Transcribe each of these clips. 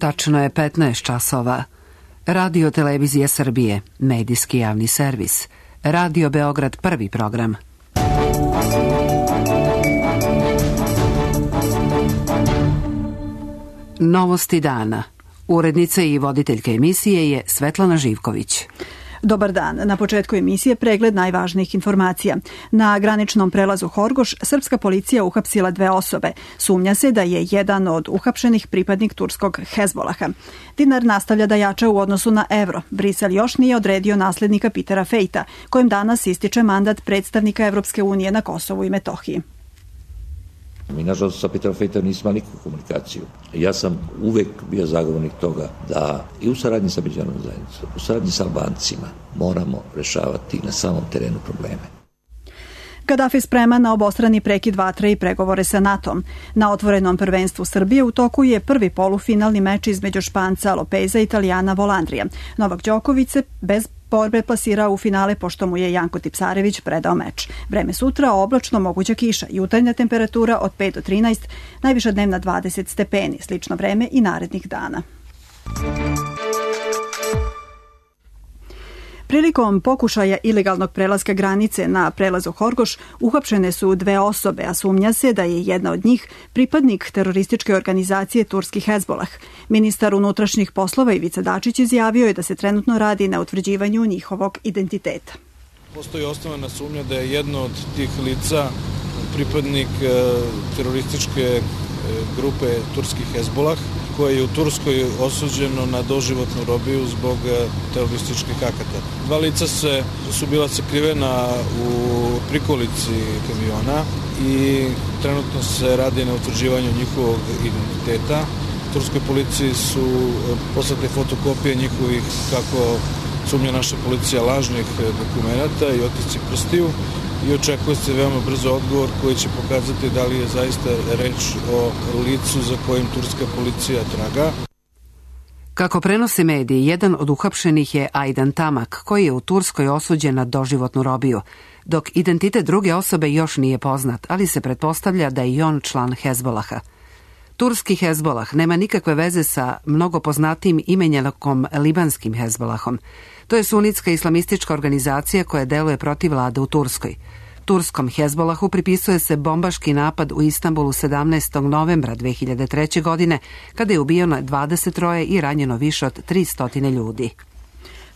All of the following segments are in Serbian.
Tačno je 15 časova. Radio Televizija Srbije, medijski javni servis. Radio Beograd, prvi program. Novosti dana. Urednica i voditeljka emisije je Svetlana Živković. Dobar dan. Na početku emisije pregled najvažnijih informacija. Na graničnom prelazu Horgoš srpska policija uhapsila 2 osobe. Sumnja se da je jedan od uhapšenih pripadnik turskog Hezbolaha. Dinar nastavlja da jača u odnosu na evro. Brisel još nije odredio naslednika Petera Fejta, kojem danas ističe mandat predstavnika Evropske unije na Kosovu i Metohiji. Mi, nažalost, sa Peterom Fejtom nismo imali nikakvu komunikaciju. Ja sam uvek bio zagovornik toga da i u saradnji sa međunarodnom zajednicom, u saradnji sa Albancima moramo rešavati na samom terenu probleme. Gaddafi spreman na obostrani prekid vatre i pregovore sa NATO-om. Na otvorenom prvenstvu Srbije u toku je prvi polufinalni meč između Španca Lopeza i Italijana Volandrija. Novak Đoković se bez borbe plasirao u finale pošto mu je Janko Tipsarević predao meč. Vreme sutra oblačno, moguća kiša, jutarnja temperatura od 5 do 13, najviša dnevna 20 stepeni, slično vreme i narednih dana. Prilikom pokušaja ilegalnog prelaska granice na prelazu Horgoš uhapšene su 2 osobe, a sumnja se da je jedna od njih pripadnik terorističke organizacije turski Hezbolah. Ministar unutrašnjih poslova Ivica Dačić izjavio je da se trenutno radi na utvrđivanju njihovog identiteta. Postoji osnovana sumnja da je jedno od tih lica pripadnik terorističke grupe turski Hezbolah, koje je u Turskoj osuđeno na doživotnu robiju zbog terorističkih akata. 2 lica su bila sakrivena u prikolici kamiona i trenutno se radi na utvrđivanju njihovog identiteta. Turskoj policiji su poslate fotokopije njihovih, kako sumnja naša policija, lažnih dokumenata i otisci prstiju i očekuje se veoma brzo odgovor koji će pokazati da li je zaista reč o licu za kojim turska policija traga. Kako prenose mediji, jedan od uhapšenih je Ajdan Tamak, koji je u Turskoj osuđen na doživotnu robiju, dok identitet druge osobe još nije poznat, ali se pretpostavlja da je i on član Hezbolaha. Turski Hezbolah nema nikakve veze sa mnogo poznatijim imenjakom libanskim Hezbolahom. To je sunitska islamistička organizacija koja deluje protiv vlade u Turskoj. Turskom Hezbolahu pripisuje se bombaški napad u Istanbulu 17. novembra 2003. godine, kada je ubijeno 23 i ranjeno više od 300 ljudi.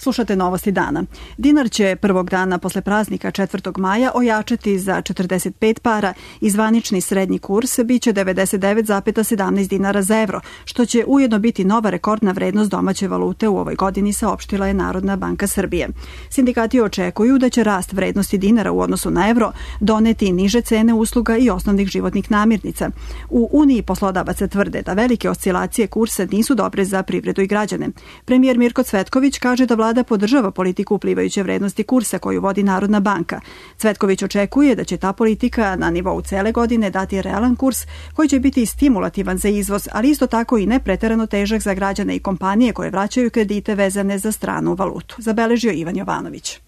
Slušate novosti dana. Dinar će prvog dana posle praznika 4. maja ojačati za 45 para i zvanični srednji kurs biće 99,17 dinara za evro, što će ujedno biti nova rekordna vrednost domaće valute u ovoj godini, saopštila je Narodna banka Srbije. Sindikati očekuju da će rast vrednosti dinara u odnosu na evro doneti niže cene usluga i osnovnih životnih namirnica. U Uniji poslodavaca tvrde da velike oscilacije kursa nisu dobre za privredu i građane. Premijer Mirko Cvetković kaže da vlada podržava politiku uplivajuće vrednosti kursa koju vodi Narodna banka. Cvetković očekuje da će ta politika na nivou cele godine dati realan kurs koji će biti stimulativan za izvoz, ali isto tako i ne preterano težak za građane i kompanije koje vraćaju kredite vezane za stranu valutu, zabeležio Ivan Jovanović.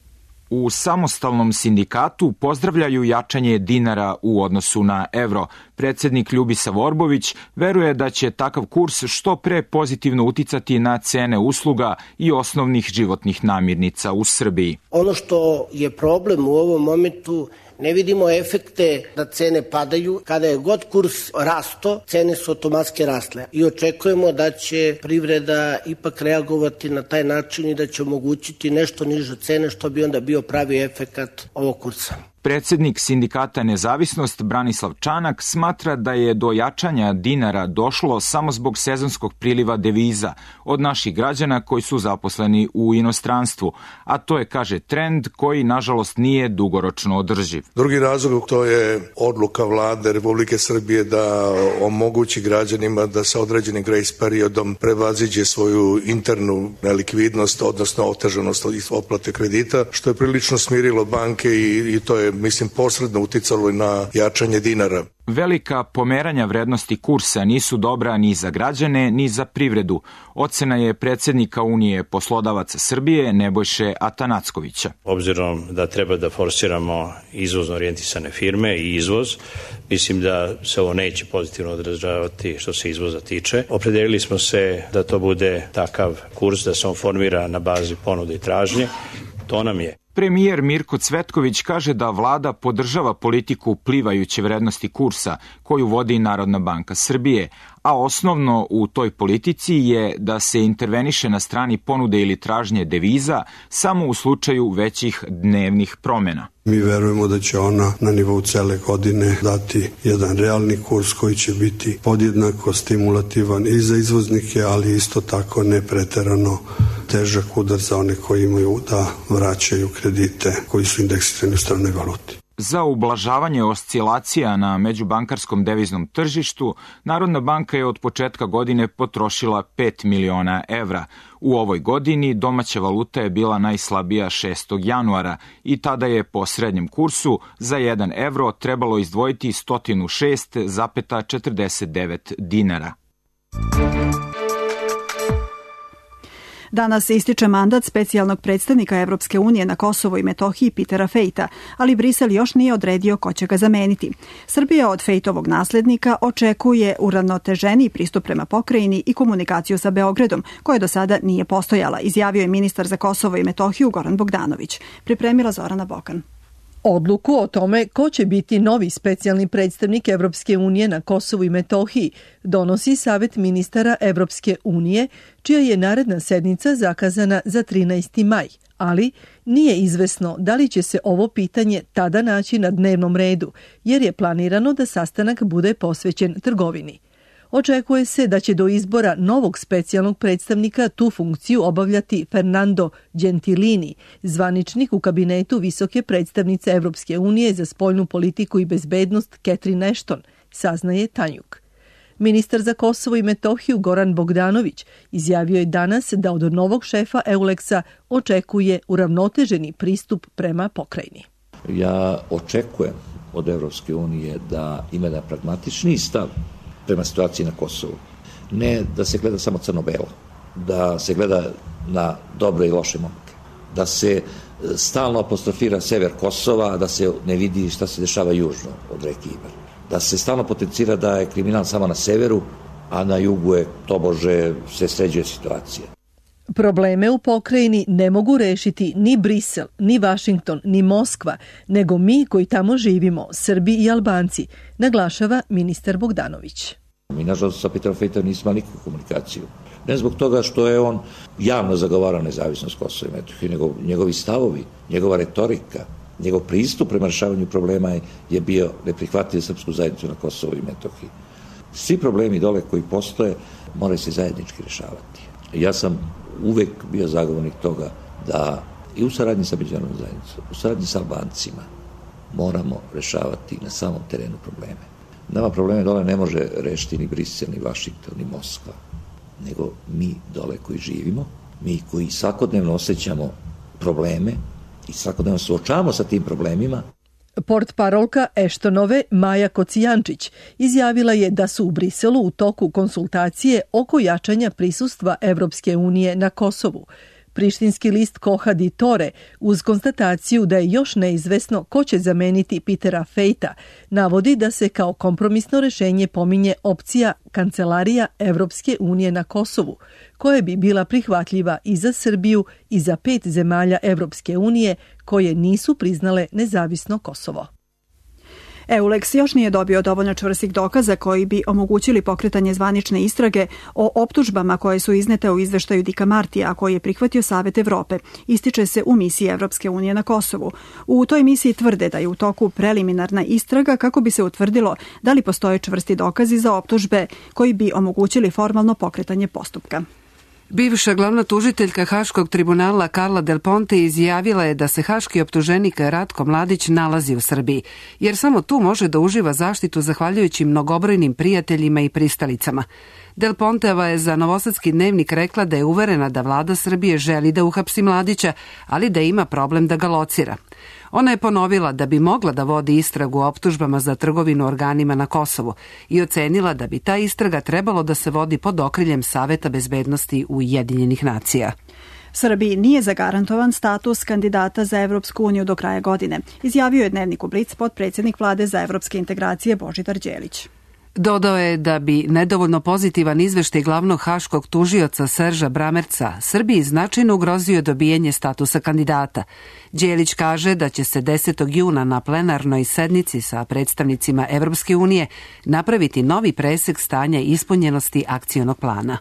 U samostalnom sindikatu pozdravljaju jačanje dinara u odnosu na evro. Predsednik Ljubisa Vorbović veruje da će takav kurs što pre pozitivno uticati na cene usluga i osnovnih životnih namirnica u Srbiji. Ono što je problem u ovom momentu, ne vidimo efekte da cene padaju. Kada je god kurs rasto, cene su automatski rasle i očekujemo da će privreda ipak reagovati na taj način i da će omogućiti nešto niže cene, što bi onda bio pravi efekat ovog kursa. Predsednik sindikata Nezavisnost Branislav Čanak smatra da je do jačanja dinara došlo samo zbog sezonskog priliva deviza od naših građana koji su zaposleni u inostranstvu, a to je, kaže, trend koji nažalost nije dugoročno održiv. Drugi razlog to je odluka vlade Republike Srbije da omogući građanima da sa određenim grace periodom prevaziđe svoju internu nelikvidnost, odnosno otežanost otplate kredita, što je prilično smirilo banke i to je je, posredno uticalo na jačanje dinara. Velika pomeranja vrednosti kursa nisu dobra ni za građane, ni za privredu. Ocena je predsjednika Unije poslodavaca Srbije Nebojše Atanackovića. Obzirom da treba da forsiramo izvozno orijentisane firme i izvoz, mislim da se ovo neće pozitivno odražavati što se izvoza tiče. Opredelili smo se da to bude takav kurs, da se on formira na bazi ponude i tražnje. To nam je. Premijer Mirko Cvetković kaže da vlada podržava politiku plivajuće vrednosti kursa koju vodi Narodna banka Srbije, a osnovno u toj politici je da se interveniše na strani ponude ili tražnje deviza samo u slučaju većih dnevnih promjena. Mi verujemo da će ona na nivou cele godine dati jedan realni kurs koji će biti podjednako stimulativan i za izvoznike, ali isto tako ne preterano težak udar za one koji imaju da vraćaju kredite koji su indeksirani u stranoj valuti. Za ublažavanje oscilacija na međubankarskom deviznom tržištu, Narodna banka je od početka godine potrošila 5 miliona evra. U ovoj godini domaća valuta je bila najslabija 6. januara i tada je po srednjem kursu za 1 evro trebalo izdvojiti 106,49 dinara. Danas se ističe mandat specijalnog predstavnika Evropske unije na Kosovo i Metohiji Petera Fejta, ali Brisel još nije odredio ko će ga zameniti. Srbija od Fejtovog naslednika očekuje uravnoteženiji pristup prema pokrajini i komunikaciju sa Beogradom, koja do sada nije postojala, izjavio je ministar za Kosovo i Metohiju Goran Bogdanović. Pripremila Zorana Bokan. Odluku o tome ko će biti novi specijalni predstavnik Evropske unije na Kosovu i Metohiji donosi Savet ministara Evropske unije, čija je naredna sednica zakazana za 13. maj, ali nije izvesno da li će se ovo pitanje tada naći na dnevnom redu, jer je planirano da sastanak bude posvećen trgovini. Očekuje se da će do izbora novog specijalnog predstavnika tu funkciju obavljati Fernando Gentilini, zvaničnik u kabinetu visoke predstavnice Evropske unije za spoljnu politiku i bezbednost Catherine Ashton, saznaje Tanjuk. Ministar za Kosovo i Metohiju Goran Bogdanović izjavio je danas da od novog šefa EULEX-a očekuje uravnoteženi pristup prema pokrajini. Ja očekujem od Evropske unije da ima jedan pragmatični stav prema situaciji na Kosovu. Ne da se gleda samo crno-belo, da se gleda na dobre i loše momke, da se stalno apostrofira sever Kosova, da se ne vidi šta se dešava južno od reke Ibar, da se stalno potencira da je kriminal samo na severu, a na jugu je tobože se sređuje situacija. Probleme u pokrajini ne mogu rešiti ni Brisel, ni Vašington, ni Moskva, nego mi koji tamo živimo, Srbi i Albanci, naglašava ministar Bogdanović. Mi, nažalost, sa Peterom Fejtom nismo nikakvu komunikaciju. Ne zbog toga što je on javno zagovarao nezavisnost Kosova i Metohije, nego njegovi stavovi, njegova retorika, njegov pristup prema rešavanju problema je bio neprihvatljiv srpsku zajednicu na Kosovu i Metohiji. Svi problemi dole koji postoje moraju se zajednički rešavati. Ja sam uvek bio zagovornik toga da i u saradnji sa međunarodnom zajednicom, u saradnji sa Albancima moramo rešavati na samom terenu probleme. Nama probleme dole ne može rešiti ni Brisel, ni Vašington, ni Moskva, nego mi dole koji živimo, mi koji svakodnevno osjećamo probleme i svakodnevno suočavamo sa tim problemima. Portparolka Eštonove Maja Kocijančić izjavila je da su u Briselu u toku konsultacije oko jačanja prisustva Evropske unije na Kosovu. Prištinski list Koha di Tore, uz konstataciju da je još neizvesno ko će zameniti Petera Fejta, navodi da se kao kompromisno rešenje pominje opcija Kancelarija Evropske unije na Kosovu, koja bi bila prihvatljiva i za Srbiju i za 5 zemalja Evropske unije koje nisu priznale nezavisno Kosovo. EULEX još nije dobio dovoljno čvrstih dokaza koji bi omogućili pokretanje zvanične istrage o optužbama koje su iznete u izveštaju Dika Martija, a koji je prihvatio Savet Evrope. Ističe se u misiji Evropske unije na Kosovu. U toj misiji tvrde da je u toku preliminarna istraga kako bi se utvrdilo da li postoje čvrsti dokazi za optužbe koji bi omogućili formalno pokretanje postupka. Bivša glavna tužiteljka Haškog tribunala Carla Del Ponte izjavila je da se haški optuženik Ratko Mladić nalazi u Srbiji, jer samo tu može da uživa zaštitu zahvaljujući mnogobrojnim prijateljima i pristalicama. Del Ponteva je za Novosadski dnevnik rekla da je uverena da vlada Srbije želi da uhapsi Mladića, ali da ima problem da ga locira. Ona je ponovila da bi mogla da vodi istragu o optužbama za trgovinu organima na Kosovu i ocenila da bi ta istraga trebalo da se vodi pod okriljem Saveta bezbednosti Ujedinjenih nacija. Srbiji nije zagarantovan status kandidata za Evropsku uniju do kraja godine, izjavio je Dnevniku Blic potpredsjednik vlade za evropske integracije Božidar Đelić. Dodao je da bi nedovoljno pozitivan izveštaj glavnog haškog tužioca Serža Bramerca Srbiji značajno ugrozio dobijanje statusa kandidata. Đelić kaže da će se 10. juna na plenarnoj sednici sa predstavnicima Evropske unije napraviti novi presek stanja ispunjenosti akcionog plana.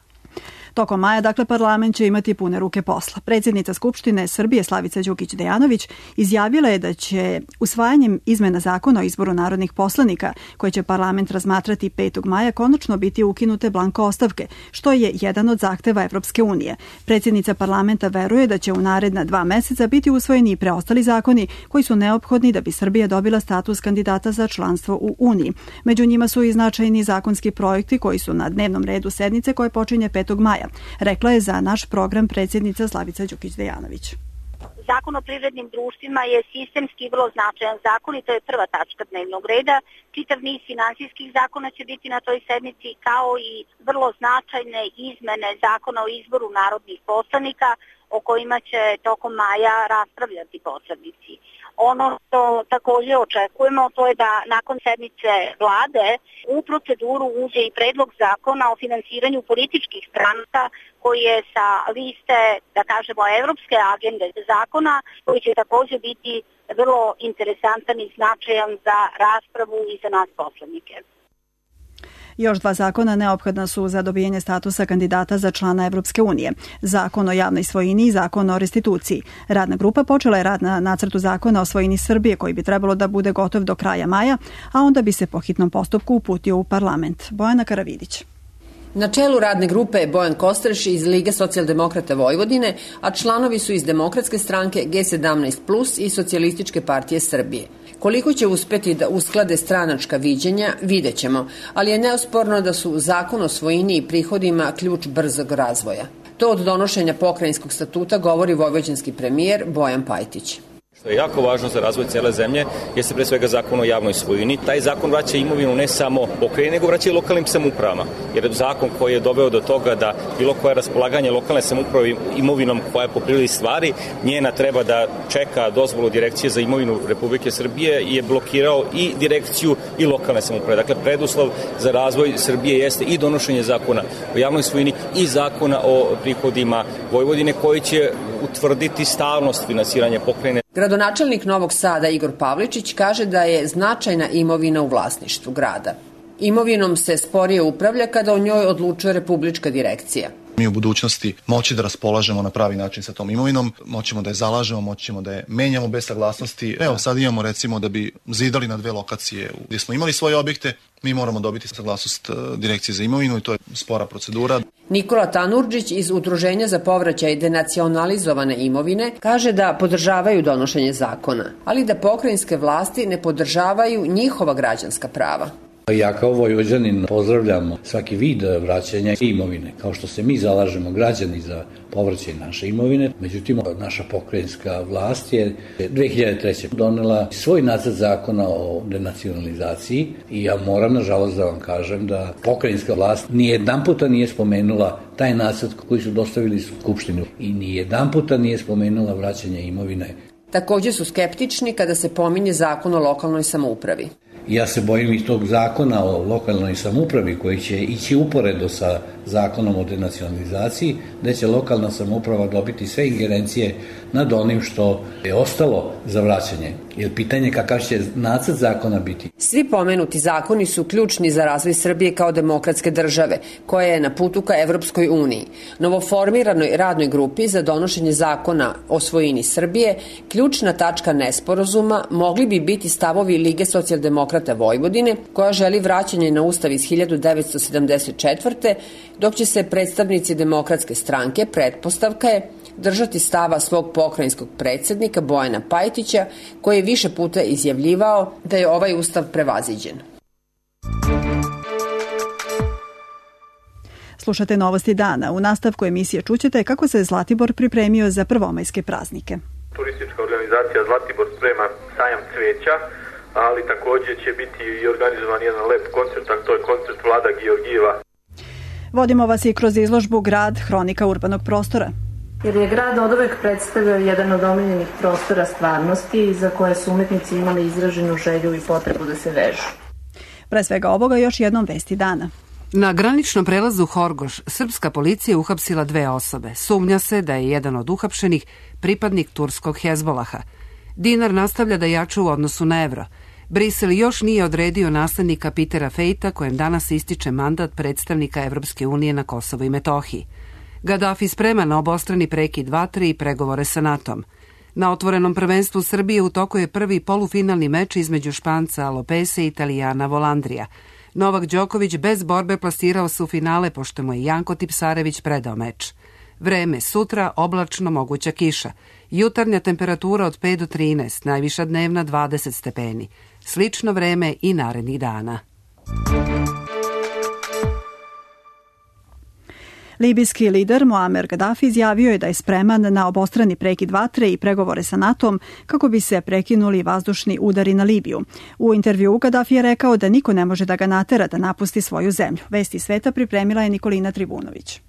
Tokom maja, parlament će imati pune ruke posla. Predsjednica Skupštine Srbije Slavica Đukić Dejanović izjavila je da će usvajanjem izmena zakona o izboru narodnih poslanika, koje će parlament razmatrati 5. maja, konačno biti ukinute blanko ostavke, što je jedan od zahteva Evropske unije. Predsjednica parlamenta veruje da će u naredna 2 meseca biti usvojeni i preostali zakoni koji su neophodni da bi Srbija dobila status kandidata za članstvo u Uniji. Među njima su i značajni zakonski projekti koji su na dnevnom redu sednice koje počinje 5. maja. Rekla je za naš program predsjednica Slavica Đukić Dejanović. Zakon o privrednim društvima je sistemski vrlo značajan zakon i to je prva tačka dnevnog reda. Čitav niz finansijskih zakona će biti na toj sednici, kao i vrlo značajne izmene zakona o izboru narodnih poslanika o kojima će tokom maja raspravljati poslanici. Ono što također očekujemo, to je da nakon sednice vlade u proceduru uđe i predlog zakona o finansiranju političkih stranaka koji je sa liste, da kažemo, evropske agende zakona, koji će također biti vrlo interesantan i značajan za raspravu i za nas poslanike. Još 2 zakona neophodna su za dobijanje statusa kandidata za člana Evropske unije. Zakon o javnoj svojini i zakon o restituciji. Radna grupa počela je rad na nacrtu zakona o svojini Srbije koji bi trebalo da bude gotov do kraja maja, a onda bi se po hitnom postupku uputio u parlament. Bojana Karavidić. Na čelu radne grupe je Bojan Kostreš iz Lige socijaldemokrata Vojvodine, a članovi su iz Demokratske stranke, G17+, i Socijalističke partije Srbije. Koliko će uspeti da usklade stranačka viđenja, vidjet ćemo, ali je neosporno da su zakon o svojini i prihodima ključ brzog razvoja. To od donošenja pokrajinskog statuta govori vojvođanski premijer Bojan Pajtić. Što je jako važno za razvoj cele zemlje jeste pre svega zakon o javnoj svojini. Taj zakon vraća imovinu ne samo pokrajini, nego vraća i lokalnim samoupravama. Jer je zakon koji je doveo do toga da bilo koje raspolaganje lokalne samouprave imovinom koja je po prirodi stvari, njena treba da čeka dozvolu Direkcije za imovinu Republike Srbije i je blokirao i direkciju i lokalne samouprave. Dakle, preduslov za razvoj Srbije jeste i donošenje zakona o javnoj svojini i zakona o prihodima Vojvodine koji će utvrditi stalnost finansiranja pokrajine. Gradonačelnik Novog Sada Igor Pavličić kaže da je značajna imovina u vlasništvu grada. Imovinom se sporije upravlja kada o njoj odlučuje Republička direkcija. Mi u budućnosti moći da raspolažemo na pravi način sa tom imovinom, moćemo da je zalažemo, moćemo da je menjamo bez saglasnosti. Evo sad imamo recimo da bi zidali na 2 lokacije gdje smo imali svoje objekte, mi moramo dobiti saglasnost Direkcije za imovinu i to je spora procedura. Nikola Tanurđić iz Udruženja za povraćaj denacionalizovane imovine kaže da podržavaju donošenje zakona, ali da pokrajinske vlasti ne podržavaju njihova građanska prava. Ja kao Vojvođanin pozdravljam svaki vid vraćanja imovine, kao što se mi zalažemo građani za povraćaj naše imovine. Međutim, naša pokrajinska vlast je 2003. donela svoj nacrt zakona o denacionalizaciji i ja moram nažalost da vam kažem da pokrajinska vlast nijedanputa nije spomenula taj nacrt koji su dostavili Skupštinu i nijedanputa nije spomenula vraćanje imovine. Također su skeptični kada se pominje zakon o lokalnoj samoupravi. Ja se bojim i tog zakona o lokalnoj samoupravi koji će ići uporedo sa zakonom o denacionalizaciji, da će lokalna samouprava dobiti sve ingerencije nad onim što je ostalo za vraćanje. Jer pitanje kakav će nacrt zakona biti. Svi pomenuti zakoni su ključni za razvoj Srbije kao demokratske države, koja je na putu ka Evropskoj uniji. Novoformiranoj radnoj grupi za donošenje zakona o svojini Srbije, ključna tačka nesporazuma mogli bi biti stavovi Lige socijaldemokrata Vojvodine, koja želi vraćanje na Ustav iz 1974. dok će se predstavnici Demokratske stranke, pretpostavka je, držati stava svog pokrajinskog predsjednika Bojana Pajtića, koji je više puta izjavljivao da je ovaj ustav prevaziđen. Slušate Novosti dana. U nastavku emisije čućete kako se Zlatibor pripremio za prvomajske praznike. Turistička organizacija Zlatibor sprema sajam cveća, ali takođe će biti i organizovan jedan lep koncert, a to je koncert Vlada Georgijeva. Vodimo vas i kroz izložbu Grad, hronika urbanog prostora. Jer je grad oduvek predstavljao jedan od omiljenih prostora stvarnosti za koje su umetnici imali izraženu želju i potrebu da se vežu. Pre svega ovoga još jednom vesti dana. Na graničnom prelazu Horgoš srpska policija uhapsila 2 osobe. Sumnja se da je jedan od uhapšenih pripadnik turskog Hezbolaha. Dinar nastavlja da jača u odnosu na evro. Brisel još nije odredio naslednika Petera Fejta, kojem danas ističe mandat predstavnika Evropske unije na Kosovu i Metohiji. Gaddafi sprema na obostrani prekid vatre i pregovore sa NATO-om. Na otvorenom prvenstvu Srbije u toku je prvi polufinalni meč između Španca Lopese i Italijana Volandrija. Novak Đoković bez borbe plasirao se u finale, pošto mu je Janko Tipsarević predao meč. Vreme sutra, oblačno, moguća kiša. Jutarnja temperatura od 5 do 13, najviša dnevna 20 stepeni. Slično vreme i narednih dana. Libijski lider Muamer Gaddafi izjavio je da je spreman na obostrani prekid vatre i pregovore sa NATO-om kako bi se prekinuli vazdušni udari na Libiju. U intervjuu Gaddafi je rekao da niko ne može da ga natera da napusti svoju zemlju. Vesti sveta pripremila je Nikolina Tribunović.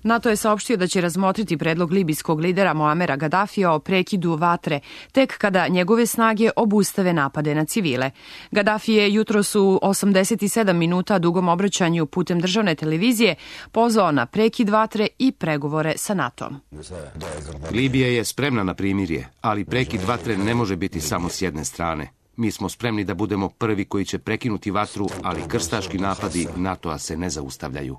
NATO je saopštio da će razmotriti predlog libijskog lidera Muamera Gaddafija o prekidu vatre, tek kada njegove snage obustave napade na civile. Gaddafi je jutros u 87 minuta dugom obraćanju putem državne televizije pozvao na prekid vatre i pregovore sa NATO-om. Libija je spremna na primirje, ali prekid vatre ne može biti samo s jedne strane. Mi smo spremni da budemo prvi koji će prekinuti vatru, ali krstaški napadi NATO-a se ne zaustavljaju.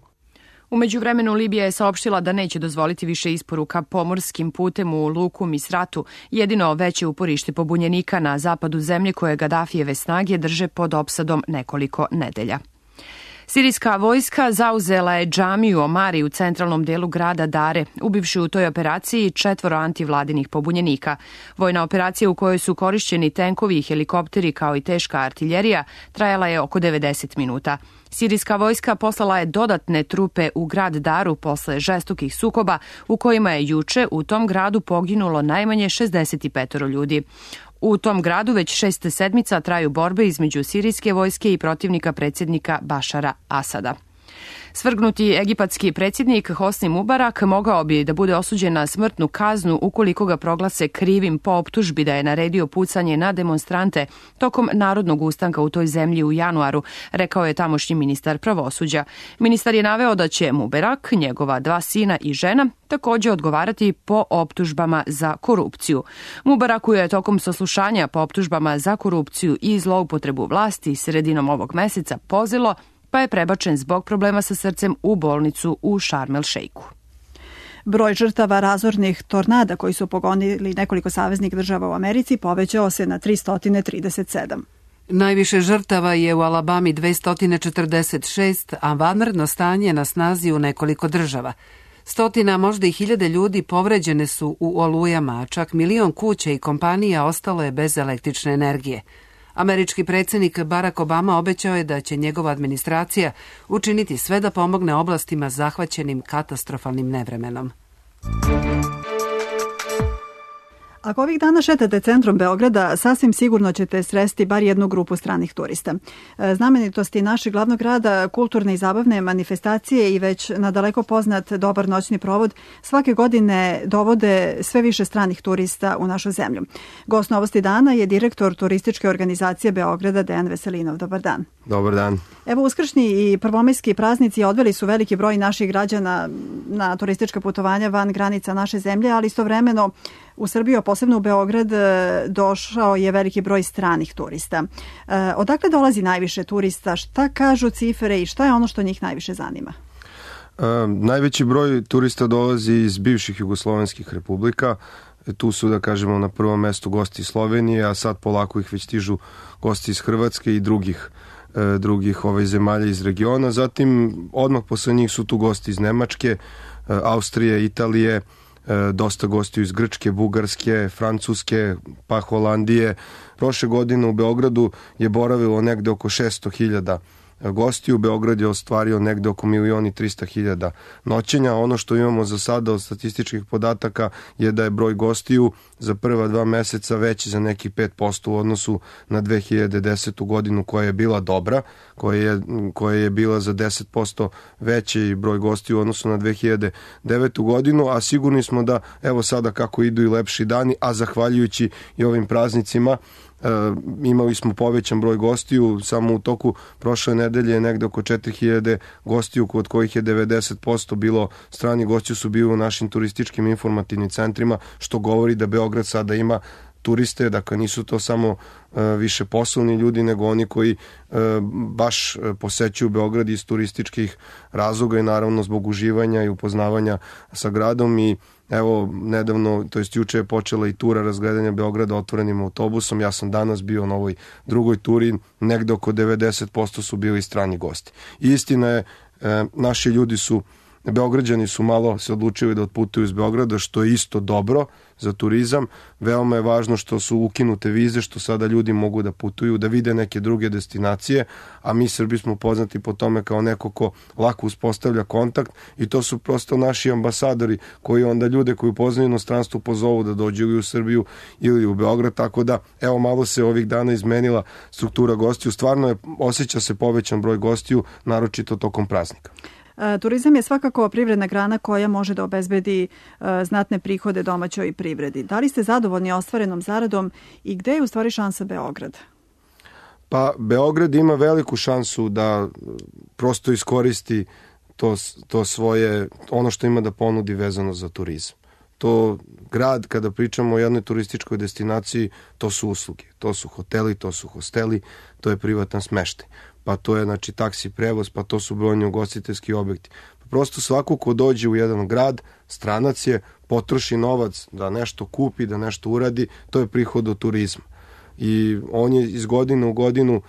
U međuvremenu Libija je saopštila da neće dozvoliti više isporuka pomorskim putem u luku Misratu, jedino veće uporište pobunjenika na zapadu zemlje koje Gaddafijeve snage drže pod opsadom nekoliko nedelja. Sirijska vojska zauzela je džamiju Omari u centralnom delu grada Dare, ubivši u toj operaciji 4 antivladinih pobunjenika. Vojna operacija u kojoj su korišćeni tenkovi i helikopteri kao i teška artiljerija trajala je oko 90 minuta. Sirijska vojska poslala je dodatne trupe u grad Daru posle žestokih sukoba u kojima je juče u tom gradu poginulo najmanje 65 ljudi. U tom gradu već 6 sedmica traju borbe između sirijske vojske i protivnika predsjednika Bašara Asada. Svrgnuti egipatski predsjednik Hosni Mubarak mogao bi da bude osuđen na smrtnu kaznu ukoliko ga proglase krivim po optužbi da je naredio pucanje na demonstrante tokom narodnog ustanka u toj zemlji u januaru, rekao je tamošnji ministar pravosuđa. Ministar je naveo da će Mubarak, njegova 2 sina i žena, također odgovarati po optužbama za korupciju. Mubaraku je tokom saslušanja po optužbama za korupciju i zloupotrebu vlasti sredinom ovog meseca pozilo, pa je prebačen zbog problema sa srcem u bolnicu u Šarm el Šejku. Broj žrtava razornih tornada koji su pogonili nekoliko saveznih država u Americi povećao se na 337. Najviše žrtava je u Alabami 246, a vanredno stanje na snazi u nekoliko država. Stotina, možda i hiljade ljudi povređene su u olujama, a čak 1 milion kuća i kompanija ostalo je bez električne energije. Američki predsjednik Barack Obama obećao je da će njegova administracija učiniti sve da pomogne oblastima zahvaćenim katastrofalnim nevremenom. Ako ovih dana šetate centrom Beograda, sasvim sigurno ćete sresti bar jednu grupu stranih turista. Znamenitosti našeg glavnog grada, kulturne i zabavne manifestacije i već nadaleko poznat dobar noćni provod svake godine dovode sve više stranih turista u našu zemlju. Gost Novosti dana je direktor turističke organizacije Beograda Dejan Veselinov. Dobar dan. Dobar dan. Evo, uskršnji i prvomajski praznici odveli su veliki broj naših građana na turistička putovanja van granica naše zemlje, ali istovremeno u Srbiju, posebno u Beograd, došao je veliki broj stranih turista. Odakle dolazi najviše turista? Šta kažu cifre i šta je ono što njih najviše zanima? Najveći broj turista dolazi iz bivših jugoslovenskih republika. Tu su, da kažemo, na prvom mestu gosti iz Slovenije, a sad polako ih već stižu gosti iz Hrvatske i drugih zemalja iz regiona. Zatim, odmah posle njih su tu gosti iz Nemačke, Austrije, Italije, dosta gostiju iz Grčke, Bugarske, Francuske, pa Holandije. Prošle godine u Beogradu je boravilo negde oko 600.000 gostiju. Beograd je ostvario negde oko 1.300.000 noćenja. Ono što imamo za sada od statističkih podataka je da je broj gostiju za prva 2 meseca veći za nekih 5% u odnosu na 2010. godinu koja je bila dobra, koja je bila za 10% veći broj gostiju u odnosu na 2009. godinu, a sigurni smo da evo sada kako idu i lepši dani, a zahvaljujući i ovim praznicima imali smo povećan broj gostiju. Samo u toku prošle nedelje negde oko 4.000 gostiju, od kojih je 90% bilo strani gostiju su bili u našim turističkim informativnim centrima, što govori da Beograd sada ima turiste, dakle nisu to samo više poslovni ljudi, nego oni koji baš posećuju Beograd iz turističkih razloga i naravno zbog uživanja i upoznavanja sa gradom. I evo nedavno, to jest juče je počela i tura razgledanja Beograda otvorenim autobusom. Ja sam danas bio na ovoj drugoj turi, negde oko 90% su bili strani gosti. I istina je, naši ljudi su, Beograđani su malo se odlučili da otputuju iz Beograda, što je isto dobro za turizam. Veoma je važno što su ukinute vize, što sada ljudi mogu da putuju, da vide neke druge destinacije, a mi Srbi smo poznati po tome kao neko ko lako uspostavlja kontakt i to su prosto naši ambasadori koji onda ljude koji poznaju inostranstvo pozovu da dođu ili u Srbiju ili u Beograd, tako da evo malo se ovih dana izmenila struktura gostiju. Stvarno je, osjeća se povećan broj gostiju, naročito tokom praznika. Turizam je svakako privredna grana koja može da obezbedi znatne prihode domaćoj privredi. Da li ste zadovoljni ostvarenom zaradom i gde je u stvari šansa Beograda? Pa Beograd ima veliku šansu da prosto iskoristi to svoje, ono što ima da ponudi vezano za turizam. To grad, kada pričamo o jednoj turističkoj destinaciji, to su usluge, to su hoteli, to su hosteli, to je privatan smeštaj. Pa to je znači taksi prevoz, pa to su brojni ugostiteljski objekti. Prosto svako ko dođe u jedan grad, stranac je, potroši novac da nešto kupi, da nešto uradi, to je prihod od turizma. I on je iz godine u godinu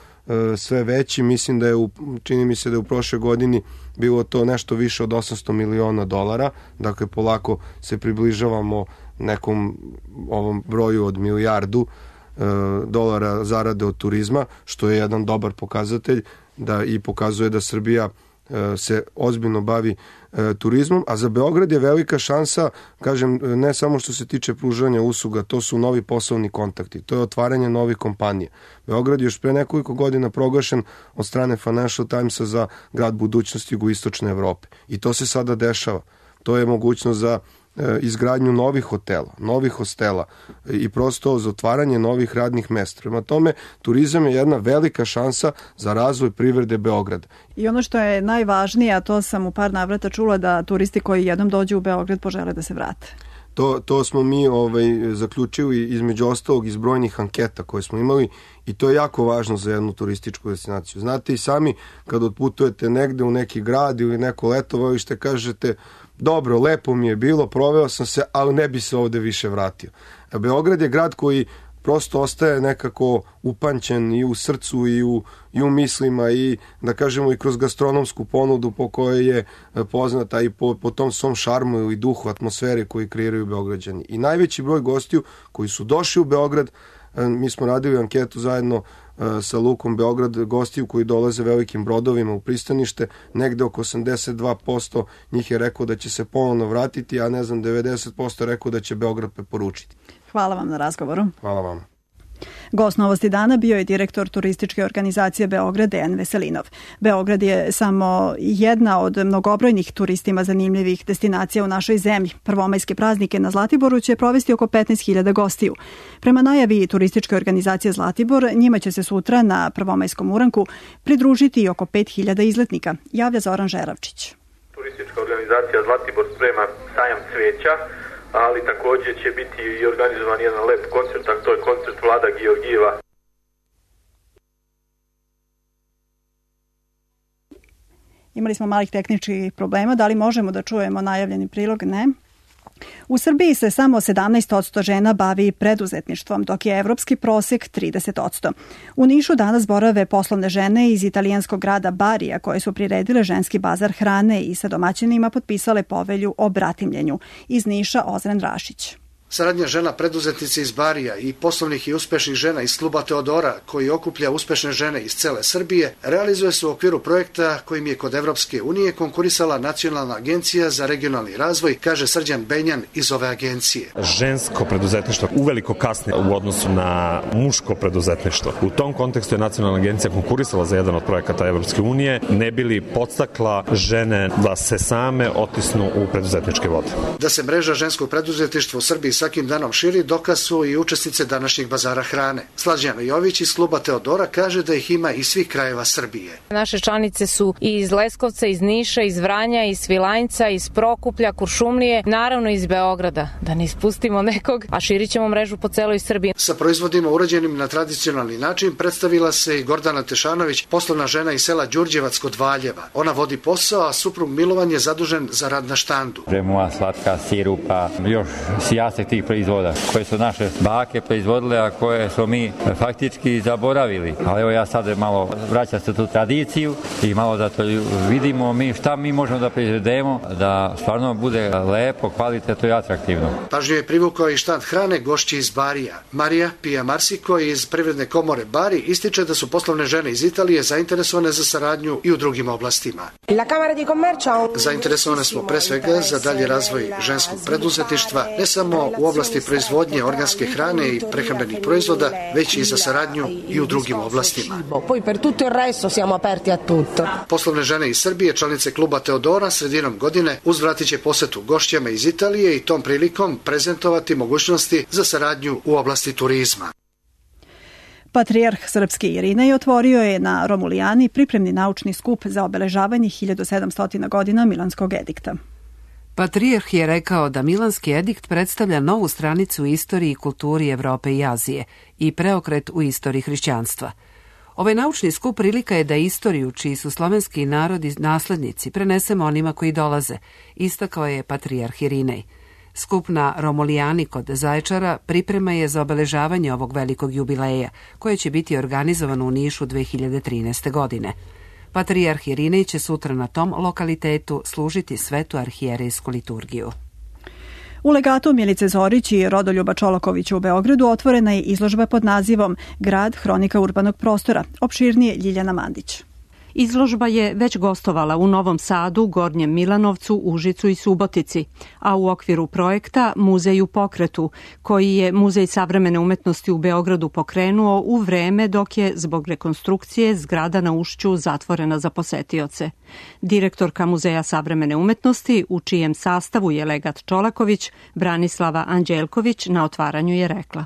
sve veći. Mislim da je, čini mi se da je u prošle godini bilo to nešto više od $800 miliona. Dakle, polako se približavamo nekom ovom broju od milijardu dolara zarade od turizma, što je jedan dobar pokazatelj da i pokazuje da Srbija se ozbiljno bavi turizmom, a za Beograd je velika šansa, kažem, ne samo što se tiče pružanja usluga, to su novi poslovni kontakti, to je otvaranje novih kompanija. Beograd je još pre nekoliko godina proglašen od strane Financial Timesa za grad budućnosti jugoistočne Evrope i to se sada dešava. To je mogućnost za izgradnju novih hotela, novih hostela i prosto za otvaranje novih radnih mesta. Prema tome, turizam je jedna velika šansa za razvoj privrede Beograda. I ono što je najvažnije, a to sam u par navrata čula, da turisti koji jednom dođu u Beograd požele da se vrate. To smo mi zaključili između ostalog iz brojnih anketa koje smo imali i to je jako važno za jednu turističku destinaciju. Znate i sami kad otputujete negde u neki grad ili neko letovalište, kažete dobro, lepo mi je bilo, proveo sam se, ali ne bi se ovde više vratio. A Beograd je grad koji prosto ostaje nekako upančen i u srcu i u mislima i da kažemo i kroz gastronomsku ponudu po kojoj je poznata i po tom svom šarmu ili duhu, atmosferi koji kreiraju Beograđani. I najveći broj gostiju koji su došli u Beograd, mi smo radili anketu zajedno sa Lukom Beograd, gostiju koji dolaze velikim brodovima u pristanište, negde oko 82% njih je rekao da će se ponovno vratiti, a 90% rekao da će Beograd preporučiti. Hvala vam na razgovoru. Hvala vam. Gost Novosti dana bio je direktor turističke organizacije Beograd Dejan Veselinov. Beograd je samo jedna od mnogobrojnih turistima zanimljivih destinacija u našoj zemlji. Prvomajske praznike na Zlatiboru će provesti oko 15.000 gostiju. Prema najavi turističke organizacije Zlatibor, njima će se sutra na prvomajskom uranku pridružiti i oko 5.000 izletnika, javlja Zoran Žeravčić. Turistička organizacija Zlatibor sprema sajam cveća, ali takođe će biti i organizovan jedan lep koncert, a to je koncert Vlada Georgijeva. Imali smo malih tehničkih problema, da li možemo da čujemo najavljeni prilog? Ne. U Srbiji se samo 17% žena bavi preduzetništvom, dok je evropski prosek 30%. U Nišu danas borave poslovne žene iz italijanskog grada Barija koje su priredile ženski bazar hrane i sa domaćinima potpisale povelju o bratimljenju. Iz Niša Ozren Rašić. Saradnja žena preduzetnice iz Barija i poslovnih i uspešnih žena iz kluba Teodora, koji okuplja uspešne žene iz cele Srbije, realizuje se u okviru projekta kojim je kod Evropske unije konkurisala Nacionalna agencija za regionalni razvoj, kaže Srđan Benjan iz ove agencije. Žensko preduzetništvo uveliko kasni u odnosu na muško preduzetništvo. U tom kontekstu je Nacionalna agencija konkurisala za jedan od projekata Evropske unije, ne bi li podstakla žene da se same otisnu u preduzetničke vode. Da se mreža ženskog preduzetništva u Srbiji svakim danom širi, dokaz su i učesnice današnjeg bazara hrane. Slađana Jović iz kluba Teodora kaže da ih ima iz svih krajeva Srbije. Naše članice su i iz Leskovca, iz Niša, iz Vranja, iz Svilajnca, iz Prokuplja, Kuršumlije, naravno iz Beograda, da ne ispustimo nekog, a širit ćemo mrežu po celoj Srbiji. Sa proizvodima urađenim na tradicionalni način predstavila se i Gordana Tešanović, poslovna žena iz sela Đurđevac kod Valjeva. Ona vodi posao, a suprug Milovan je zadužen za rad na štandu. Bremua, slatka, sirupa, još sijastek tih proizvoda koje su naše bake proizvodile, a koje smo mi faktički zaboravili. Ali evo ja sad malo vraćam se tu tradiciju i malo da to vidimo mi šta mi možemo da proizvedemo, da stvarno bude lepo, kvalitetno i atraktivno. Pažnju je privukao i štand hrane gošći iz Barija. Marija Pija Marsiko iz Privredne komore Bari ističe da su poslovne žene iz Italije zainteresovane za saradnju i u drugim oblastima. Zainteresovane smo pre svega za dalji razvoj ženskog preduzetništva, ne samo u oblasti proizvodnje organske hrane i prehrambenih proizvoda, već i za saradnju i u drugim oblastima. Poslovne žene iz Srbije, članice kluba Teodora, sredinom godine uzvratit će posetu gošćama iz Italije i tom prilikom prezentovati mogućnosti za saradnju u oblasti turizma. Patrijarh srpski Irinej otvorio je na Romulijani pripremni naučni skup za obeležavanje 1700 godina Milanskog edikta. Patrijarh je rekao da Milanski edikt predstavlja novu stranicu u istoriji i kulturi Evrope i Azije i preokret u istoriji hrišćanstva. Ovaj naučni skup prilika je da istoriju, čiji su slovenski narodi naslednici, prenesemo onima koji dolaze, istakao je Patrijarh Irinej. Skup na Romulijani kod Zaječara priprema je za obeležavanje ovog velikog jubileja, koje će biti organizovano u Nišu 2013. godine. Patrijarh Irinej će sutra na tom lokalitetu služiti svetu arhijerejsku liturgiju. U legatu Milice Zorić i Rodoljuba Čolakovića u Beogradu otvorena je izložba pod nazivom Grad, hronika urbanog prostora. Opširnije Ljiljana Mandić. Izložba je već gostovala u Novom Sadu, Gornjem Milanovcu, Užicu i Subotici, a u okviru projekta Muzej u pokretu, koji je Muzej savremene umetnosti u Beogradu pokrenuo u vreme dok je zbog rekonstrukcije zgrada na Ušću zatvorena za posetioce. Direktorka Muzeja savremene umetnosti, u čijem sastavu je legat Čolaković, Branislava Anđelković, na otvaranju je rekla: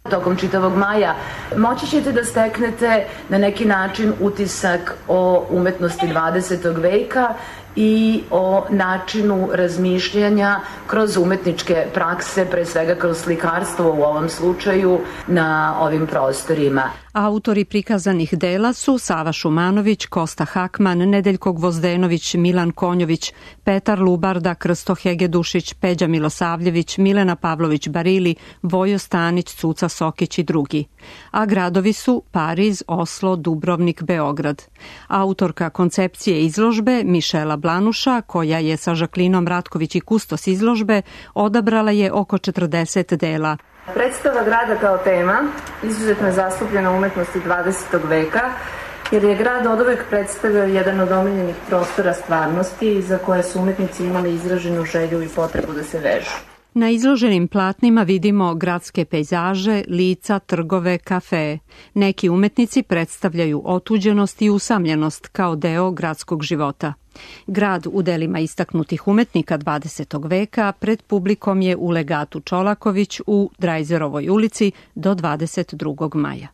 Tokom čitavog maja moći ćete da steknete na neki način utisak o umetnosti 20. veka i o načinu razmišljanja kroz umetničke prakse, pre svega kroz slikarstvo u ovom slučaju, na ovim prostorima. Autori prikazanih dela su Sava Šumanović, Kosta Hakman, Nedeljko Gvozdenović, Milan Konjović, Petar Lubarda, Krsto Hegedušić, Peđa Milosavljević, Milena Pavlović Barili, Vojo Stanić, Cuca Sokić i drugi. A gradovi su Pariz, Oslo, Dubrovnik, Beograd. Autorka koncepcije izložbe, Mišela Blanuša, koja je sa Žaklinom Ratković i kustos izložbe, odabrala je oko 40 dela. Predstava grada kao tema izuzetno je zastupljena u umetnosti 20. veka, jer je grad oduvek predstavio jedan od omiljenih prostora stvarnosti za koje su umetnici imali izraženu želju i potrebu da se vežu. Na izloženim platnima vidimo gradske pejzaže, lica, trgove, kafe. Neki umetnici predstavljaju otuđenost i usamljenost kao deo gradskog života. Grad u delima istaknutih umetnika 20. veka pred publikom je u legatu Čolaković u Drajzerovoj ulici do 22. maja.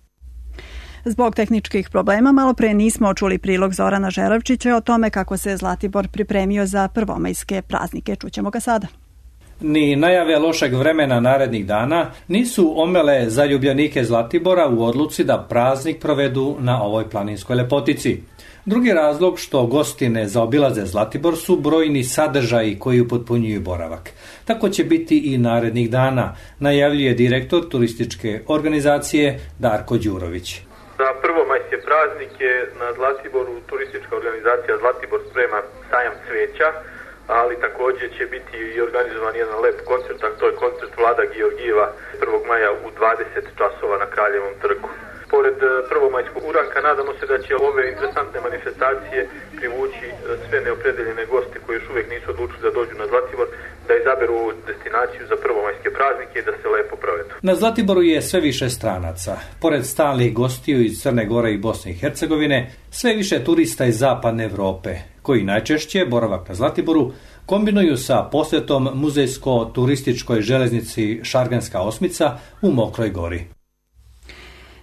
Zbog tehničkih problema malo pre nismo čuli prilog Zorana Žeravčića o tome kako se Zlatibor pripremio za prvomajske praznike. Čućemo ga sada. Ni najave lošeg vremena narednih dana nisu omele zaljubljenike Zlatibora u odluci da praznik provedu na ovoj planinskoj lepotici. Drugi razlog što gosti ne zaobilaze Zlatibor su brojni sadržaji koji upotpunjuju boravak. Tako će biti i narednih dana, najavljuje direktor turističke organizacije Darko Đurović. Za prvomajske praznike na Zlatiboru turistička organizacija Zlatibor sprema sajam cveća. ali takođe će biti i organizovan jedan lep koncert, a to je koncert Vlada Georgijeva 1. maja u 20 časova na Kraljevom trgu. Pored prvomajskog uranka nadamo se da će ove interesantne manifestacije privući sve neopredeljene goste koji još uvek nisu odlučili da dođu na Zlatibor, da izaberu ovu destinaciju za prvomajske praznike i da se lepo provedu. Na Zlatiboru je sve više stranaca. Pored stalnih gostiju iz Crne Gore i Bosne i Hercegovine, sve više turista iz zapadne Evrope, koji najčešće boravak na Zlatiboru kombinuju sa posjetom muzejsko-turističkoj železnici Šarganska osmica u Mokroj Gori.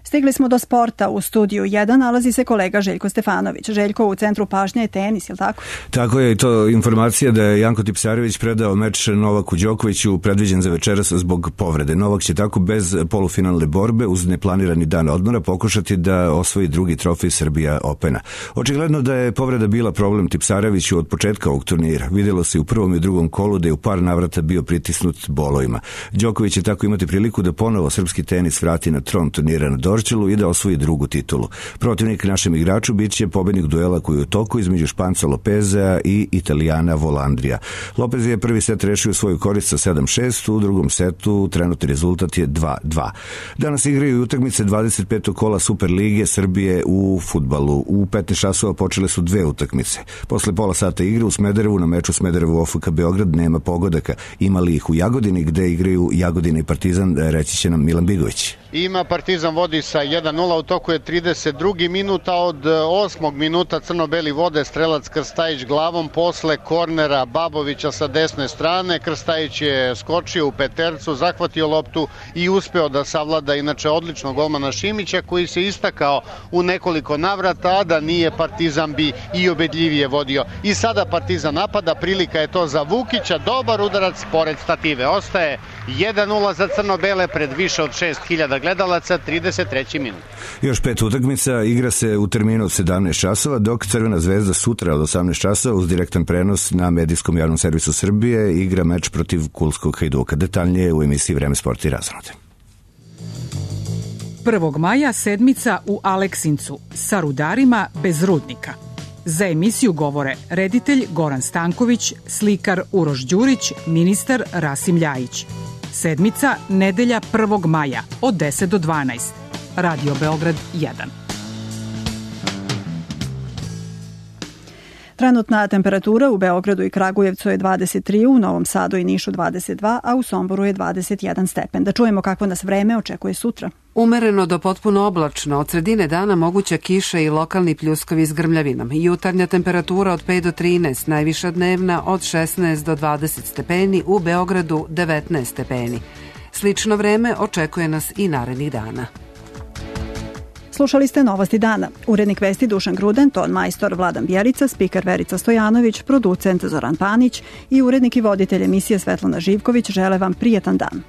Stigli smo do sporta. U studiju 1 nalazi se kolega Željko Stefanović. Željko, u centru pažnje je tenis, je li tako? Tako je, i to informacija da je Janko Tipsarević predao meč Novaku Đokoviću predviđen za večeras zbog povrede. Novak će tako bez polufinalne borbe uz neplanirani dan odmora pokušati da osvoji drugi trofej Srbija Opena. Očigledno da je povreda bila problem Tipsareviću od početka ovog turnira. Vidjelo se u prvom i drugom kolu da je u par navrata bio pritisnut bolovima. Đoković će tako imati priliku da ponovo srpski tenis vrati na tron turnira na Dorčelu i da osvoji drugu titulu. Protivnik našem igraču bit će pobednik duela koji je u toku između Španca Lopeza i Italijana Volandrija. Lopez je prvi set rešio svoju korist sa 7-6, u drugom setu trenutni rezultat je 2-2. Danas igraju i utakmice 25. kola Superlige Srbije u fudbalu. U 15 časova počele su dve utakmice. Posle pola sata igre u Smederevu na meču Smederevu OFK Beograd nema pogodaka. Imali ih u Jagodini gde igraju Jagodina i Partizan, reći će nam Milan Bigović. Ima Partizan vodi sa 1-0, u toku je 32. minuta, od 8. minuta crno-beli vode, strelac Krstajić glavom posle kornera Babovića sa desne strane. Krstajić je skočio u petercu, zahvatio loptu i uspeo da savlada inače odličnog golmana Šimića koji se istakao u nekoliko navrata, a da nije Partizan bi i ubedljivije vodio. I sada Partizan napada, prilika je to za Vukića, dobar udarac pored stative. Ostaje 1-0 za crno-bele pred više od 6000 gledalaca, 33. minut. Još 5 utakmica igra se u terminu od 17 časova, dok Crvena zvezda sutra od 18 časova uz direktan prenos na medijskom javnom servisu Srbije igra meč protiv Kulskog Hajduka. Detaljnije u emisiji Vreme sporta i razonode. 1. maja sedmica u Aleksincu sa rudarima bez rudnika. Za emisiju govore reditelj Goran Stanković, slikar Uroš Đurić, ministar Rasim Ljajić. Sedmica, nedelja 1. maja od 10 do 12. Radio Beograd 1. Trenutna temperatura u Beogradu i Kragujevcu je 23, u Novom Sadu i Nišu 22, a u Somboru je 21 stepen. Da čujemo kako nas vreme očekuje sutra. Umereno do potpuno oblačno, od sredine dana moguća kiša i lokalni pljuskovi s grmljavinom. Jutarnja temperatura od 5 do 13, najviša dnevna od 16 do 20 stepeni, u Beogradu 19 stepeni. Slično vreme očekuje nas i narednih dana. Slušali ste Novosti dana. Urednik vesti Dušan Gruden, ton majstor Vladan Bjelica, spiker Verica Stojanović, producent Zoran Panić i urednik i voditelj emisije Svetlana Živković žele vam prijetan dan.